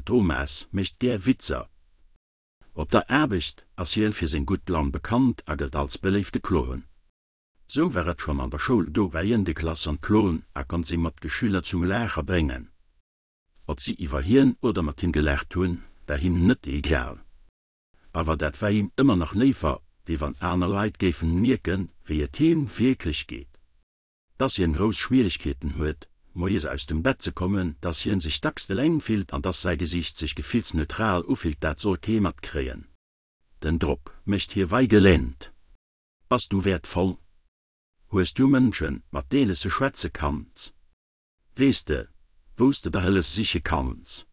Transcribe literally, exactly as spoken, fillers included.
Den Thomas mécht gär Witzer. Op der Aarbecht ass hien fir seng gutt Laun bekannt a gëllt als beléifte Clown. Sou war et schonn an der Schoul, do war hien de Klassenclown a konnt seng Matgeschüler zum Laache bréngen. Ob si iwwer hien oder mat him gelaacht hunn, war him net egal. Awer dat war him ëmmer nach léiwer, wéi wann aner Leit géifen mierken, wéi et him wierklech geet. Dass hien grouss Schwieregkeeten huet, moies aus dem Bett ze kommen, dass hien sech dacks eleng fillt an dass säi Gesiicht sech gefillsneutral ufillt, dat soll kee matkréien. Den Drock mécht hie wei geläämt. Bass du wäertvoll? Hues du Mënschen, mat deenen s de schwätze kanns? Weess de, wou s de der Hëllef siche kanns?